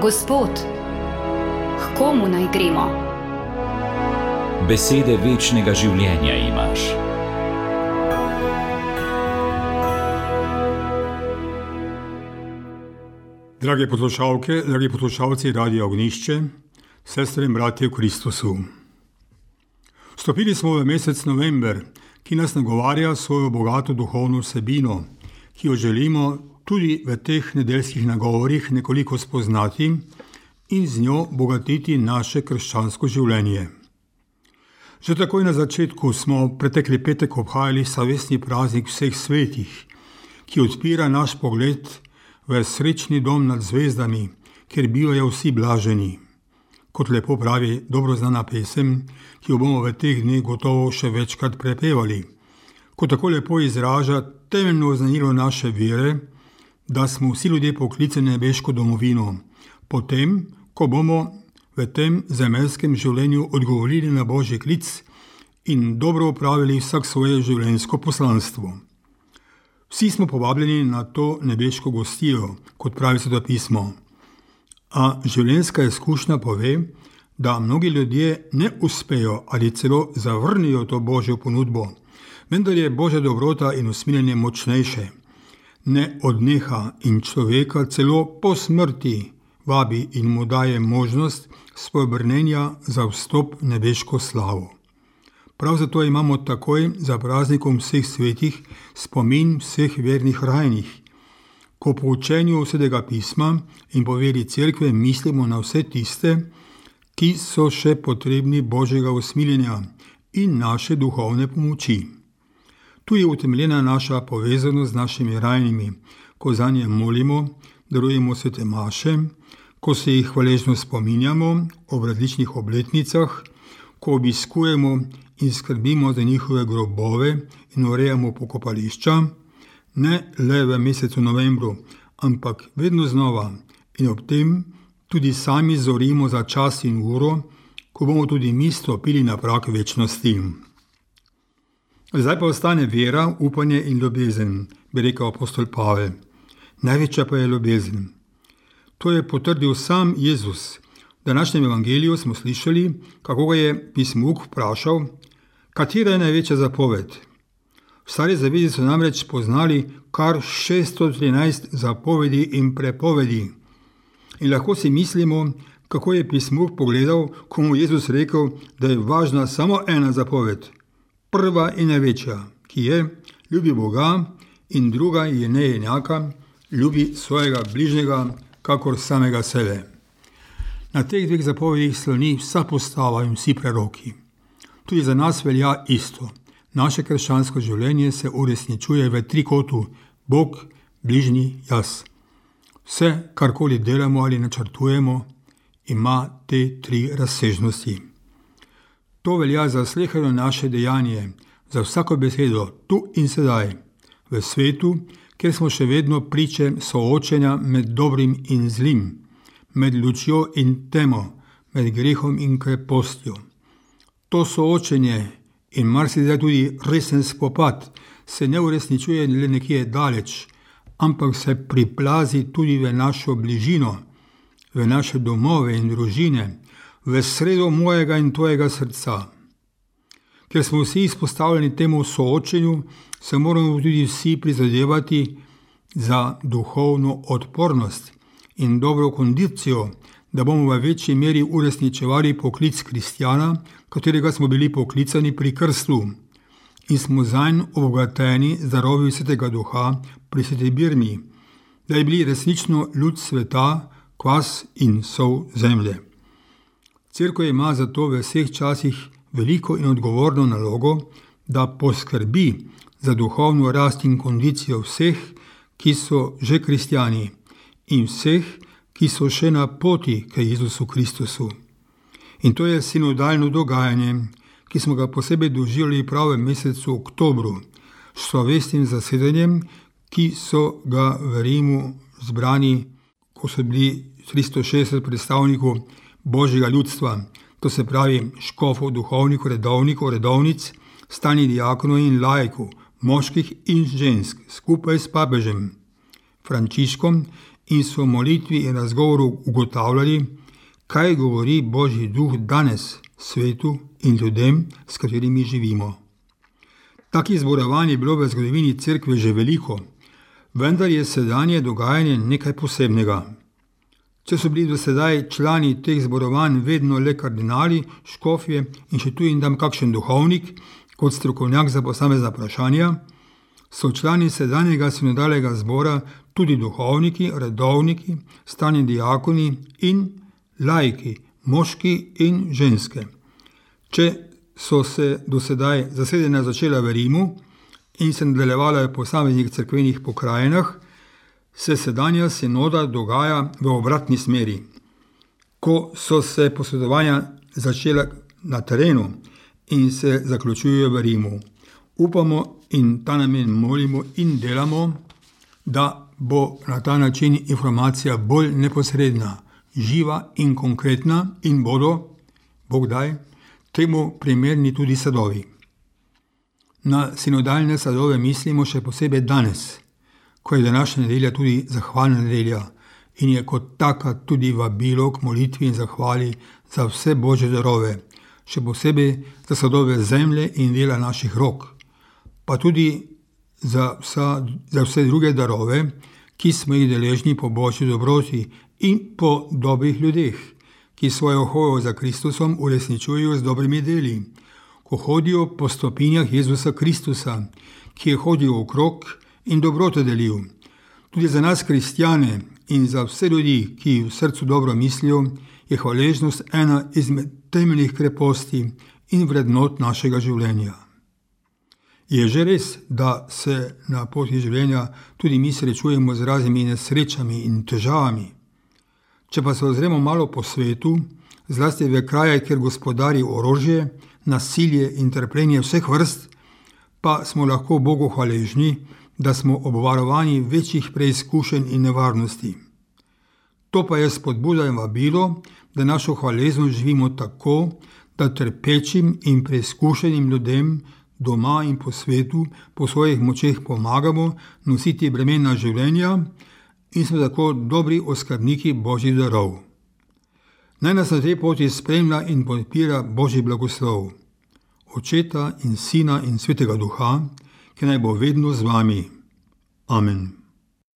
Gospod, k komu naj gremo? Besede večnega življenja imaš. Drage poslušalke, dragi poslušalci Radia Ognjišče, sestre in bratje v Kristusu. Vstopili smo v mesec november, ki nas nagovarja svojo bogato duhovno vsebino, ki jo želimo tudi v teh nedeljskih nagovorih nekoliko spoznati in z njo bogatiti naše krščansko življenje. Že takoj na začetku smo pretekli petek obhajali savestni praznik vseh svetih, ki odpira naš pogled v srečni dom nad zvezdami, kjer bivajo vsi blaženi. Kot lepo pravi dobro znana pesem, ki jo bomo v teh dneh gotovo še večkrat prepevali, ko tako lepo izraža temeljno oznanilo naše vere, da smo vsi ljudje poklicani na nebeško domovino, potem, ko bomo v tem zemeljskem življenju odgovorili na Božji klic in dobro opravili vsak svoje življenjsko poslanstvo. Vsi smo povabljeni na to nebeško gostijo, kot pravi Sveto pismo. A življenjska izkušnja pove, da mnogi ljudje ne uspejo ali celo zavrnijo to Božjo ponudbo, vendar je Božja dobrota in usmiljenje močnejše. Ne odneha in človeka celo po smrti vabi in mu daje možnost spobrnenja za vstop v nebeško slavo. Prav zato imamo takoj za praznikom vseh svetih spomin vseh vernih rajnih. Ko po učenju Svetega pisma in po veri cerkve mislimo na vse tiste, ki so še potrebni Božjega usmiljenja in naše duhovne pomoči. Tu je utemeljena naša povezanost z našimi rajnimi, ko zanje molimo, darujemo svete maše, ko se jih hvaležno spominjamo ob različnih obletnicah, ko obiskujemo in skrbimo za njihove grobove in urejamo pokopališča, ne le v mesecu novembru, ampak vedno znova in ob tem tudi sami zorimo za čas in uro, ko bomo tudi mi stopili na prag večnosti. Zdaj pa ostane vera, upanje in ljubezen, bi rekel apostol Pavel. Največja pa je ljubezen. To je potrdil sam Jezus. V današnjem evangeliju smo slišali, kako ga je pismuk vprašal, katera je največja zapoved. V Stari zavezi so namreč poznali kar 613 zapovedi in prepovedi. In lahko si mislimo, kako je pismuk pogledal, ko mu Jezus rekel, da je važna samo ena zapoved, prva in največja, ki je ljubi Boga in druga je neenaka, ljubi svojega bližnjega, kakor samega sebe. Na teh dveh zapovedih sloni vsa postava in vsi preroki. Tudi za nas velja isto. Naše krščansko življenje se uresničuje v trikotu Bog, bližnji, jaz. Vse, karkoli delamo ali načrtujemo, ima te tri razsežnosti. To velja za sleherno naše dejanje, za vsako besedo, tu in sedaj, v svetu, kjer smo še vedno priče soočenja med dobrim in zlim, med lučjo in temo, med grehom in krepostjo. To soočenje in marsikdaj tudi resen spopad se ne uresničuje le nekje daleč, ampak se priplazi tudi v našo bližino, v naše domove in družine, v sredo mojega in tvojega srca. Ker smo vsi izpostavljeni temu soočenju, se moramo tudi vsi prizadevati za duhovno odpornost in dobro kondicijo, da bomo v večji meri uresničevali poklic kristjana, katerega smo bili poklicani pri krstu in smo zanj obogateni z darovi Svetega Duha pri Sveti Birmi, da je bili resnično ljud sveta, kvas in sol zemlje. Cerkev ima zato v vseh časih veliko in odgovorno nalogo, da poskrbi za duhovno rast in kondicijo vseh, ki so že kristjani in vseh, ki so še na poti k Jezusu Kristusu. In to je sinodalno dogajanje, ki smo ga posebej doživljali prav v mesecu oktobru, s slovesnim zasedanjem, ki so ga v Rimu zbrani, ko so bili 360 predstavnikov Božjega ljudstva, to se pravi škofov, duhovnikov, redovnikov, redovnic, stalnih diakonov in laikov, moških in žensk, skupaj s papežem. Frančiškom in so v molitvi in razgovoru ugotavljali, kaj govori Božji duh danes svetu in ljudem, s katerimi živimo. Takih zborovanj je bilo v zgodovini cerkve že veliko, vendar je sedanje dogajanje nekaj posebnega. Če so bili do sedaj člani teh zborovanj vedno le kardinali, škofje in še tu in tam kakšen duhovnik, kot strokovnjak za posamezna vprašanja, so člani sedanjega sinodalnega zbora tudi duhovniki, redovniki, stalni diakoni in laiki, moški in ženske. Če so se do sedaj zasedanja začela v Rimu in se nadaljevala v posameznih cerkvenih pokrajinah, se sedanja sinoda dogaja v obratni smeri. Ko so se posvetovanja začela na terenu in se zaključujejo v Rimu, upamo in ta namen molimo in delamo, da bo na ta način informacija bolj neposredna, živa in konkretna in bodo, Bog daj, temu primerni tudi sadovi. Na sinodalne sadove mislimo še posebej danes, ko je današnja nedelja tudi zahvalna nedelja in je kot taka tudi vabilo k molitvi in zahvali za vse Božje darove, še posebej za sadove zemlje in dela naših rok, pa tudi za vse druge darove, ki smo jih deležni po Božji dobroti in po dobrih ljudeh, ki svojo hojo za Kristusom uresničujejo z dobrimi deli, ko hodijo po stopinjah Jezusa Kristusa, ki je hodil okrog in dobroto delil. Tudi za nas kristjane in za vse ljudi, ki v srcu dobro mislijo, je hvaležnost ena izmed temeljnih kreposti in vrednot našega življenja. Je že res, da se na poti življenja tudi mi srečujemo z raznimi nesrečami in težavami. Če pa se ozremo malo po svetu, zlasti v kraje, kjer gospodari orožje, nasilje in trpljenje vseh vrst, pa smo lahko Bogu hvaležni, da smo obvarovani večjih preizkušenj in nevarnosti. To pa je spodbuda in vabilo, da našo hvaležnost živimo tako, da trpečim in preizkušenim ljudem doma in po svetu po svojih močeh pomagamo nositi bremena življenja in smo tako dobri oskrbniki Božjih darov. Naj nas na tej poti spremlja in podpira Božji blagoslov, Očeta in Sina in Svetega Duha, ki naj bo vedno z vami. Amen.